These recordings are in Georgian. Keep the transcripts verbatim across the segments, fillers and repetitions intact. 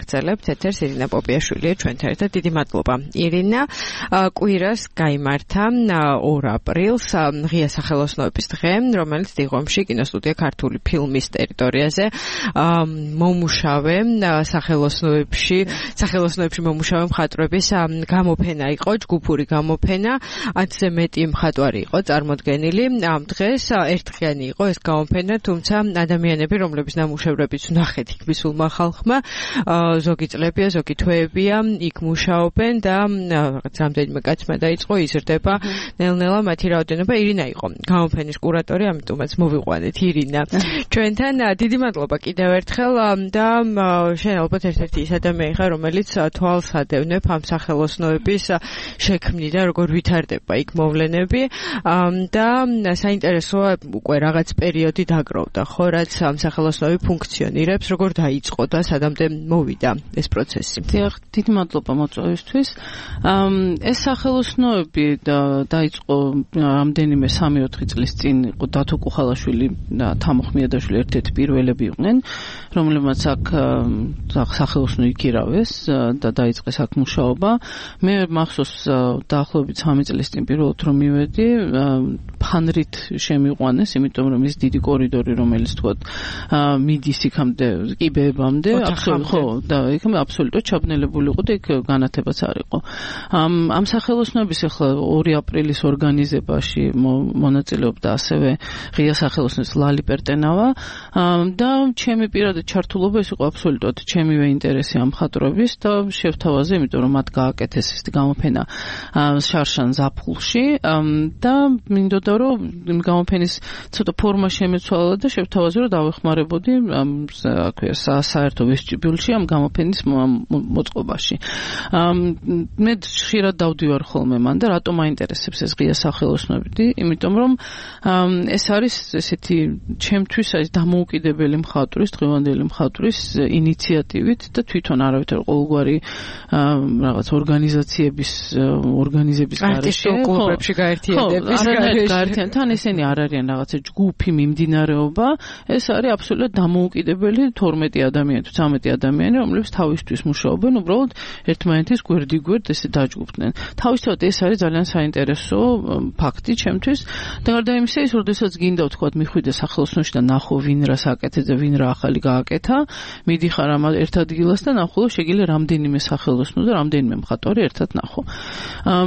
ვაგრძელებთ ეთერს. ირინა პოპიაშვილია ჩვენთან ერთად. დიდი მადლობა. ირინა, კვირას გაიმართა ორ აპრილს ღია სახელოსნოების დღე, რომელიც დიღომში კინოსტუდია ქართული ფილმის ტერიტორიაზე მომუშავე სახელოსნოებში, სახელოსნოებში მომუშავე მხატვრების გამოფენა იყო, ჯგუფური გამოფენა, ათზე მეტი მხატვარი იყო წარმოდგენილი. ამ დღეს ერთდღიანი იყო ეს გამოფენა, თუმცა ადამიანები, რომლების ნამუშევრებიც ვნახეთ იქ მისულმა ხალხმა, ზოგი წლებია, ზოგი თვეებია, იქ მუშაობენ და რაღაც რამდენიმე კაცმა დაიწყო იზრდება ნელ-ნელა მათი რაოდენობა. ირინა იყო გამოფენის კურატორი, ამიტომაც მოვიყვანეთ ირინა ჩვენთან. დიდი მადლობა კიდევ ერთხელ და შენ ალბათ ერთ-ერთი ის ადამიანი ხარ, რომელიც თვალს ადევნებ ამ სახელოსნოების შექმნიდან, როგორ ვითარდება იქ მოვლენები და საინტერესოა უკვე რაღაც პერიოდი დაგროვდა, ხო, რაც ამ სახელოსნოები ფუნქციონირებს, როგორ დაიწყო და სადამდე მოვიდა ეს პროცესი. დიახ, დიდი მადლობა მოწვევისთვის. ეს სახელოსნოები დაიწყო რამდენიმე სამი-ოთხი წლის წინ, იყო დათო კუხალაშვილი და თამო ხმიადაშვილი ერთ-ერთი პირველები იყვნენ, რომლებმაც აქ სახელოსნო იქირავეს და დაიწყეს აქ მუშაობა. მე მახსოვს დაახლოებით სამი წლის წინ პირველად რომ მივედი, ფანრით შემიყვანეს, იმიტომ რომ ის დიდი კორიდორი, რომელიც თქვათ მიდის იქამდე, კიბეებამდე, ხო, და იქ აბსოლუტურად ჩაბნელებული იყო და იქ განათებაც არ იყო. ამ სახელოსნოების ახლა ორი აპრილის ორგანიზებაში მონაწილეობდა ასევე ღია სახელოსნოს ლალი პერტენავა და ჩემი პირადი ჩართულობა ის იყო აბსოლუტურად ჩემივე ინტერესი ამ მხატვრების და შევთავაზე, იმიტომ რომ მათ გააკეთეს ეს გამოფენა შარშან ზაფხულში და მინდოდა რომ იმ გამოფენის ცოტა ფორმა შემეცვალა და შევთავაზე რომ დავეხმარებოდი აქვე საერთო ვესტიბიულში ამ გამოფენის მოწყობაში. მე ხშირად დავდივარ ხოლმე მან და რატომ აინტერესებს ეს ღია სახელოსნოები? იმიტომ რომ ეს არის ესეთი ჩემთვის არის დამოუკიდებელი მხატვრის, დღევანდელი მხატვრის ინიციატივით და თვითონ არავითარ ყოველგვარი რაღაც ორგანიზაციების ორგანიზების გარეშე, კლუბებში გაერთიანების გარეშე, თან ესენი არ არიან რაღაცა ჯგუფი მიმდინარეობა, ეს არის აბსოლუტურად დამოუკიდებელი თორმეტი ადამიანი თუ ცამეტი ადამიანი, რომლებიც თავისთვის მუშაობენ, უბრალოდ ერთმანეთის გვერდიგვერდ ესე დაჯგუფდნენ. თავისთავად ეს არის ძალიან საინტერესო ფაქტი ჩემთვის და გარდა იმისა, ის როდესაც გინდა ვთქვათ მიხვიდე სახელოსნოში და ნახო ვინ რას აკეთებს და ვინ რა ახალი გააკეთა, მიდიხარ ამ ერთ ადგილას და ნახო შეგიძლია რამდენიმე სახელოსნო და რამდენიმე მხატვარი ერთად ნახო.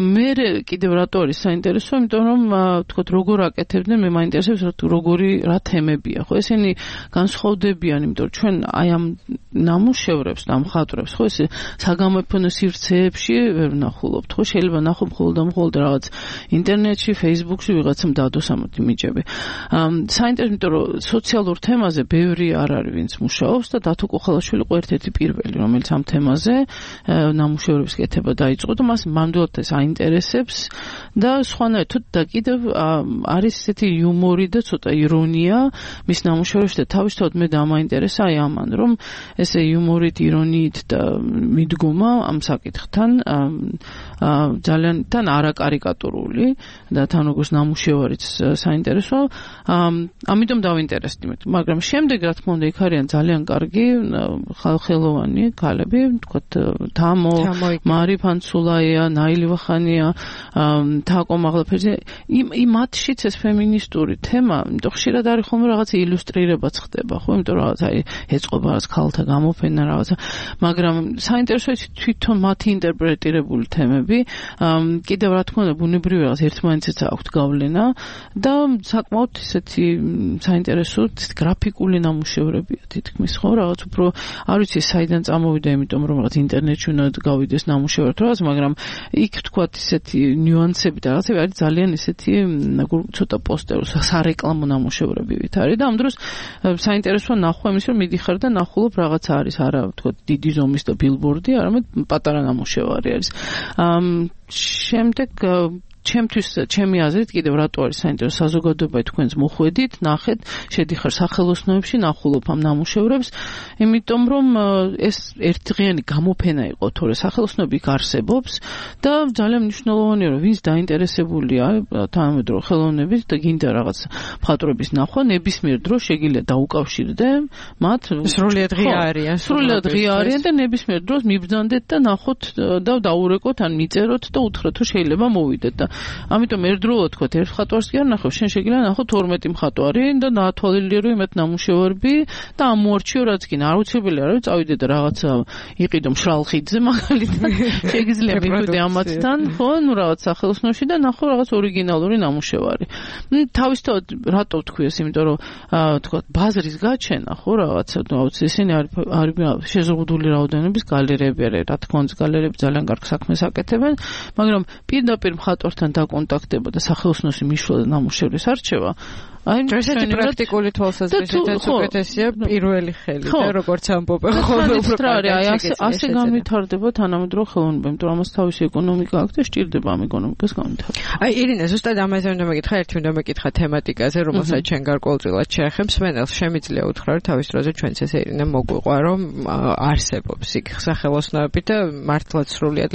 მე კიდევ რატო არის საინტერესო, იმიტომ რომ ვთქვათ როგორ აკეთებდნენ, მე მაინტერესებს როგორი რა თემებია, ხო, ესენი განსხვავდებიან, იმიტომ რომ ჩვენ აი ამ ნამუშევრებს და მხატვრებს, ხო, ესე საგამოფენო სივრცეებში ვერ ვნახულობთ, ხო, შეიძლება ნახო მხოლოდ და მხოლოდ რაღაც ინტერნეტში, Facebook-ში ვიღაცამ დადოს ამათი მიჯები. საინტერესო, იმიტომ რომ სოციალურ თემაზე ბევრი არ არის ვინც მუშაობს და დათო კუხალაშვილი იყო ერთ-ერთი პირველი, რომელიც ამ თემაზე ნამუშევრების კეთება დაიწყო და მას მამდვილად ეს აინტერესებს და სხვანაირად და კიდევ არის ესეთი იუმორი და ცოტა ირონია მის ნამუშევრებში და თავისთავად მე დამაინტერესა აი ამან, რომ ესე იუმორით, ირონიით და მიდგომა ამ საკითხთან ძალიან თან არაკარიკატურული და თან როგორც ნამუშევარიც საინტერესო, ამიტომ დავინტერესდი მე. მაგრამ შემდეგ რა თქმა უნდა იქ არიან ძალიან კარგი ხალხელოვანი ქალები, თქვათ თამო, მარი ფანცულაია, ნაილი ვახანია, თაკო მაღლაფერძე, იმ მათშიც ეს ფემინისტური თემა, იმიტომ ხშირად არის ხოლმე რაღაცა ილუსტრირებაც ხდება, ხო, იმიტომ რომ რაღაც აი ეწყობა რაღაც ქალთა გამოფენა რაღაცა, მაგრამ საინტერესოა თვითონ მათი ინტერპრეტირებული თემები, კიდევ რა თქმა უნდა ბუნებრივია რაღაც ერთმანეთსაც აქვთ გავლენა და საკმაოდ ისეთი საინტერესო გრაფიკული ნამუშევრებია თითქმის, ხო, რაღაც უფრო არ ვიცი საიდან წამოვიდა, იმიტომ რომ რაღაც ინტერნეტში უნდა გავიდეს ნამუშევრად რაღაც, მაგრამ იქ თქვათ ისეთი ნიუანსები და რაღაცები არის ძალიან ისეთი ცოტა პოსტერო სარეკლამო ნამუშევრებივით არის და ამ დროს საინტერესოა ნახვა იმის, რომ მიდიხარ და ნახულობ რაღაცა არის, არა თქვათ დიდი ზომის და ბილბორდი, არამედ პატარა ნამუშევარი არის. შემდეგ ჩემთვის ჩემი აზრით კიდევ რატო არის საინტერესო საზოგადოება თქვენს მოხვედით, ნახეთ, შედიხარ სახელოსნოებში, ნახულობ ამ ნამუშევრებს, იმიტომ რომ ეს ერთდღიანი გამოფენა იყო, თორე სახელოსნოები იქ არსებობს და ძალიან მნიშვნელოვანია, რომ ვინც დაინტერესებულია თანამედროვე ხელოვნებით და გინდა რაღაც მხატვრების ნახვა, ნებისმიერ დროს შეგიძლია დაუკავშირდე მათ. სრულიად ღია არიან. სრულიად ღია არიან და ნებისმიერ დროს მიბრძანდეთ და ნახოთ და დაურეკოთ ან მიწეროთ და უთხრათ, რომ შეიძლება მოვიდეთ და ამიტომ ერთდროულად თქვათ, ერთ მხატვარს კი არ ნახავ, შენ შეგიძლია ნახო თორმეტი მხატვარი და დაათვალიერო იმათ ნამუშევარები და ამოარჩიო რაც კი აუცილებელია, რომ წავიდე და რაღაცა იყიდო მშრალ ხიდზე მაგალითად შეგიძლია მივიდე ამათთან, ხო, ნუ რაღაც სახელოსნოში და ნახო რაღაც ორიგინალური ნამუშევარი. თავისთავად რატო ვთქვი ეს, იმიტომ რომ თქვათ ბაზრის გაჩენა, ხო, რაღაცა აუცილებლად ისინი არის შეზღუდული რაოდენობის გალერეები არის, რა თქმა უნდა გალერეები ძალიან კარგ საქმეს აკეთებენ, მაგრამ პირდაპირ მხატვართან დაკონტაქტება და სახელოსნოში მიშლა და ნამუშევრის არჩევა აი ესეთი პრაქტიკული თვალსაზრისითაც უკეთესია პირველი ხელი და როგორც ამბობენ ხოლმე უფრო კარგად აი ასე ასე განვითარდება თანამედროვე ხელოვნება, იმიტომ რომ ამას თავისი ეკონომიკა აქვს და სჭირდება ამ ეკონომიკას განვითარება. აი ირინე, ზუსტად ამაზე უნდა მეკითხა, ერთი უნდა მეკითხა თემატიკაზე, რომელსაც ჩვენ გარკვეულწილად შეეხებს. სვენელს შემიძლია უთხრა, რომ თავის დროზე ჩვენც ესე ირინე მოგვიყვა, რომ არსებობს იქ სახელოსნოები და მართლაც სრულიად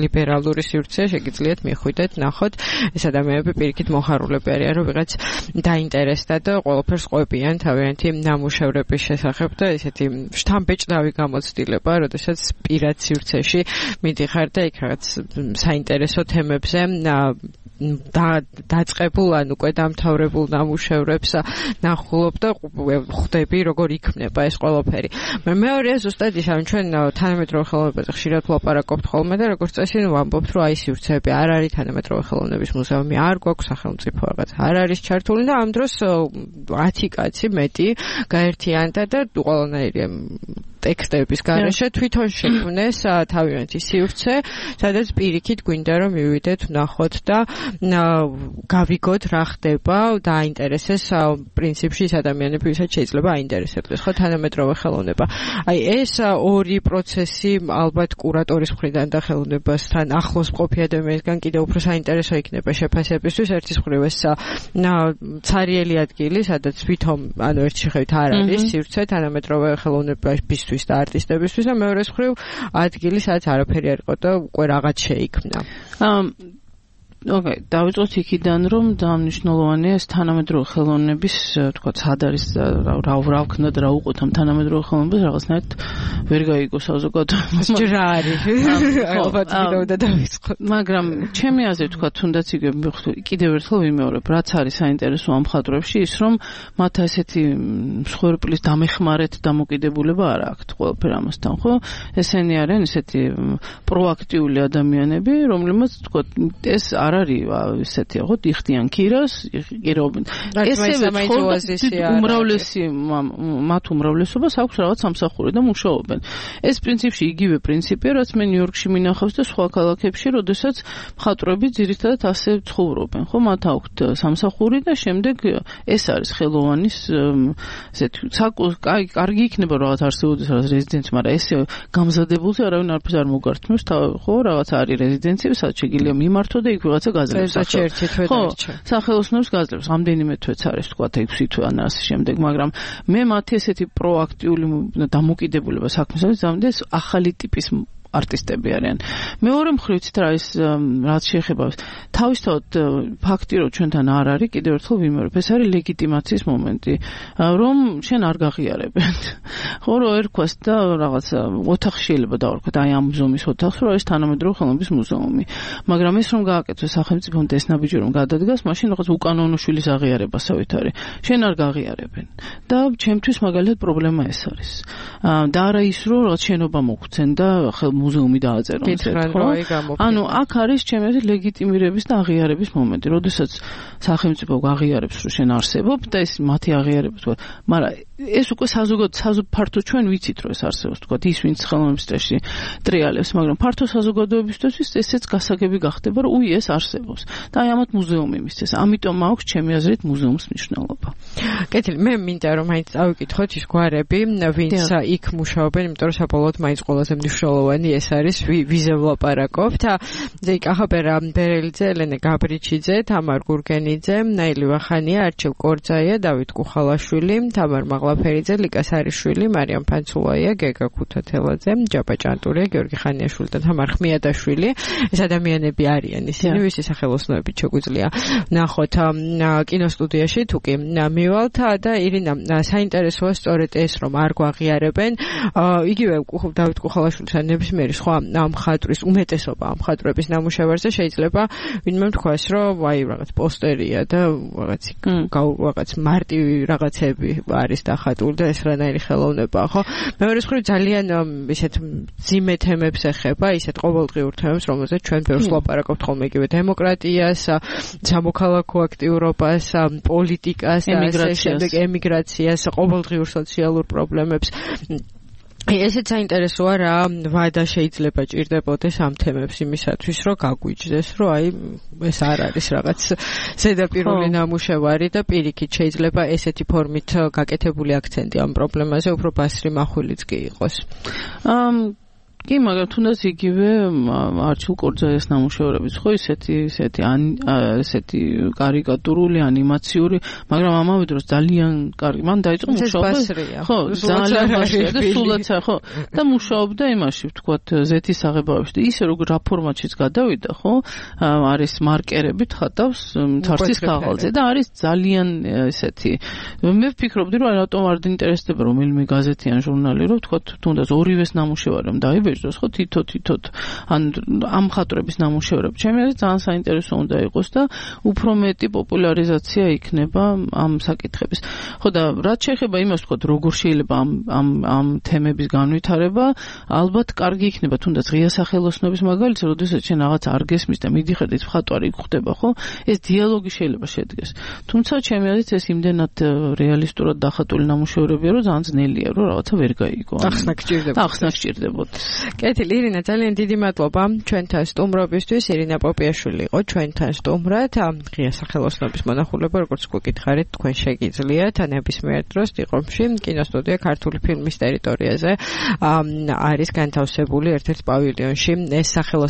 ლიბერალური სივრცე შეგიძლიათ მიხვიდეთ, ნახოთ, ეს ადამიანები პირიქით მოხარულები არიან, რომ ვიღაც დაინტერესდა და ყველაფერს ყვებიან თავიანთი ნამუშევრების შესახებ და ესეთი შთამბეჭდავი გამოცდილება, როდესაც პირად სივრცეში მიდიხარ და იქ რაღაც საინტერესო თემებზე და დაწყებულ ან უკვე დამთავრებულ ნამუშევრებს ნახულობ და ხვდები როგორ იქნება ეს ყველაფერი. მეორეა ზუსტად ის, რომ ჩვენ თანამედროვე ხელოვნებაზე ხშირად ვლაპარაკობთ ხოლმე და როგორც წესი ვამბობთ, რომ აი სივრცეები არ არის, თანამედროვე ხელოვნების მუზეუმი არ გვაქვს, სახელმწიფო რაღაც არ არის ჩართული და ამ დროს ათი კაცი მეტი გაერთიანდა და ყველანაირი ტექსტების გარეშე თვითონ შექმნეს თავიანთი სივრცე, სადაც პირიქით გვინდა რომ მივიდეთ, ვნახოთ და გავიგოთ რა ხდება და აინტერესეს პრინციპში ის ადამიანები, ვისაც შეიძლება აინტერესებდეს ხო თანამედროვე ხელოვნება. აი ეს ორი პროცესი ალბათ კურატორის მხრიდან და ხელოვნებასთან ახლოს მყოფი ადამიანისგან კიდევ უფრო საინტერესო იქნება შეფასებისთვის. ერთის მხრივ ეს ცარიელი ადგილი, სადაც თვითონ ანუ ერთ შეხედვით არ არის სივრცე თანამედროვე ხელოვნებისთვის და არტისტებისთვის და მეორეს მხრივ ადგილი, სადაც არაფერი არ იყო და უკვე რაღაც შეიქმნა. ოკეი, დავიწყოთ იქიდან, რომ დამნიშნულოვანია ეს თანამედროვე ხელოვნების, თქვა, სად არის რა რა ვქნა და რა უყოთ ამ თანამედროვე ხელოვნებას რაღაცნაირად ვერ გაიგო საზოგადოებას. ჯერა არის. ალბათ კიდევ დავიწყოთ. მაგრამ ჩემი აზრით, თქვა, თუნდაც იგივე კიდევ ერთხელ ვიმეორებ, რაც არის საინტერესო ამ მხატვრებში, ის რომ მათ ესეთი მსხვერპლის დამეხმარეთ დამოკიდებულება არ აქვთ ყველაფერ ამასთან, ხო? ესენი არიან ესეთი პროაქტიული ადამიანები, რომლებიც, თქვა, ეს არ არის ესეთი, ხო, იხდიან ქირას, იღირობენ. ესევე უმრავლესი მათ უმრავლესობას აქვს რაღაც სამსახური და მუშაობენ. ეს პრინციპში იგივე პრინციპია, რაც მე ნიუ-იორკში მინახავს და სხვა ქალაქებში, როდესაც მხატვრები ძირითადად ასე ცხოვრობენ, ხო, მათ აქვთ სამსახური და შემდეგ ეს არის ხელოვანის ესეთი კაი კარგი იქნება რაღაც არსებობდეს რაღაც რეზიდენცი, მაგრამ ესე გამზადებულზე არავინ არაფერს არ მოგართმევს, ხო, რაღაც არის რეზიდენციები, სადაც შეგიძლია მიმართო და იქ ვიღაცა გაძლევს. ხო, სახელოსნოს გაძლევს, რამდენიმე თვეც არის, თქვა, ექვსი თვე ან ასე შემდეგ, მაგრამ მე მათი ესეთი პროაქტიული დამოკიდებულება საქმესაც ზამდეს ახალი ტიპის არტისტები არიან. მეორე მხრივ ცით რა ის რაც შეეხება თავისთავად ფაქტი რომ ჩვენთან არ არის, კიდევ ერთხელ ვიმეორებ, ეს არის ლეგიტიმაციის მომენტი, რომ შენ არ გაღიარებენ. ხო, რო ერქვას და რაღაც ოთახი შეიძლება დავარქვათ, აი ამ მუზეუმის ოთახს, რომ ეს თანამედროვე ხელოვნების მუზეუმი. მაგრამ ეს რომ გააკეთოს სახელმწიფომ და ეს ნაბიჯი რომ გადადგას, მაშინ რაღაც უკანონო შვილის აღიარებასავით არის. შენ არ გაღიარებენ. და ჩემთვის მაგალითად პრობლემა ეს არის. და არა ის რომ რაღაც შენობა მოგცენ და მუზეუმი დააწერონ ესეთ, ხო? ანუ აქ არის ჩემი აზრით ლეგიტიმირების და აღიარების მომენტი, როდესაც სახელმწიფო აღიარებს, რომ შენ არსებობ და ეს მათი აღიარება თქვა, მაგრამ ეს უკვე საზოგადო ფართო ჩვენ ვიცით რომ ეს არსებობს თქვა ის ვინც ხელოვნების წრეში ტრიალებს, მაგრამ ფართო საზოგადოებისთვის ესეც გასაგები გახდება რომ უი ეს არსებობს და აი ამათ მუზეუმი მისცეს. ამიტომ აქვს ჩემი აზრით მუზეუმის მნიშვნელობა. კეთილი, მე მინდა რომ მაინც წავიკითხოთ ის გვარები, ვინც იქ მუშაობენ, იმიტომ რომ საბოლოოდ მაინც ყველაზე მნიშვნელოვანი ეს არის ვიზე ვლაპარაკობთ. ზეი კახაბერა ბერელიძე, ელენე გაბრიჩიძე, თამარ გურგენიძე, ნაილი ვახანია, არჩილ კორძაია, დავით კუხალაშვილი, თამარ მაღლაფერიძე, ლიკა სარიშვილი, მარიამ ფანცულაია, გეგა ქუთათელაძე, ჯაბა ჭანტურია, გიორგი ხანიაშვილი და თამარ ხმიადაშვილი. ეს ადამიანები არიან ისინი, ვისი სახელოსნოებით შეგვიძლია ნახოთ კინოსტუდიაში თუ კი მივალთ და ირინა საინტერესოა სწორედ ეს რომ არ გვაღიარებენ იგივე დავით კუხალაშვილის ან ნებისმიერი სხვა მხატვრის უმეტესობა ამ მხატვრების ნამუშევარზე შეიძლება ვინმე თქვას რომ აი რაღაც პოსტერია და რაღაც რაღაც მარტივი რაღაცები არის დახატული და ეს რანაირი ხელოვნებაა ხო მეორე მხრივ ძალიან ისეთ ძიმე თემებს ეხება ისეთ ყოველდღიურ თემებს რომელზეც ჩვენ ბევრს ვლაპარაკობთ ხოლმე იგივე დემოკრატიას სამოქალაქო აქტიურობას პოლიტიკას და ასე შემდეგ ემიგრაციას ყოველდღიურ სოციალურ პრობლემებს ესეც საინტერესოა რა ვადა შეიძლება ჭირდებოდეს ამ თემებს იმისათვის რომ გაგვიჯდეს რომ აი ეს არ არის რაღაც ზედაპირული ნამუშევარი და პირიქით შეიძლება ესეთი ფორმით გაკეთებული აქცენტი ამ პრობლემაზე უფრო ბასრი მახვილიც კი იყოს კი, მაგრამ თუნდაც იგივე არჩილ კორძაიას ნამუშევრებიც ხო ისეთი ისეთი ესეთი კარიკატურული ანიმაციური, მაგრამ ამავე დროს ძალიან კარგი. მან დაიწყო მუშაობა. ხო, ძალიან ბასრია და სულაც ხო. და მუშაობდა იმაში, ვთქვათ, ზეთის აღებავებში და ისე როგორ რა ფორმატშიც გადავიდა, ხო? არის მარკერებით ხატავს თარსის ქაღალდზე და არის ძალიან ესეთი. მე ვფიქრობდი, რომ რატომ არ დაინტერესდება რომელიმე გაზეთი ან ჟურნალი, რომ ვთქვათ, თუნდაც ორივეს ნამუშევარი დაიბეჭდოს. ხო თითო თითოდ ან ამ მხატვრების ნამუშევრები ჩემი აზრით ძალიან საინტერესო უნდა იყოს და უფრო მეტი პოპულარიზაცია იქნება ამ საკითხების. ხო და რაც შეეხება იმას ვთქვათ როგორ შეიძლება ამ ამ ამ თემების განვითარება ალბათ კარგი იქნება თუნდაც ღია სახელოსნობის მაგალითად როდესაც შენ რაღაც არ გესმის და მიდიხარ ის მხატვარი გხვდება ხო ეს დიალოგი შეიძლება შედგეს. თუმცა ჩემი აზრით ეს იმდენად რეალისტურად დახატული ნამუშევრებია რომ ძალიან ძნელია რომ რაღაცა ვერ გაიგო. ახსნა გჭირდებოდა. ახსნა გჭირდებოდა. კეთილი ირინა ძალიან დიდი მადლობა ჩვენთან სტუმრობისთვის ირინა პოპიაშვილი იყო ჩვენთან სტუმრად ღია სახელოსნობის მონახულება როგორც გვეკითხარით თქვენ შეგიძლიათ ნებისმიერ დროს დიღომში კინოსტუდია ქართული ფილმის ტერიტორიაზე არის განთავსებული ერთ-ერთ პავილიონში ეს სახელოსნო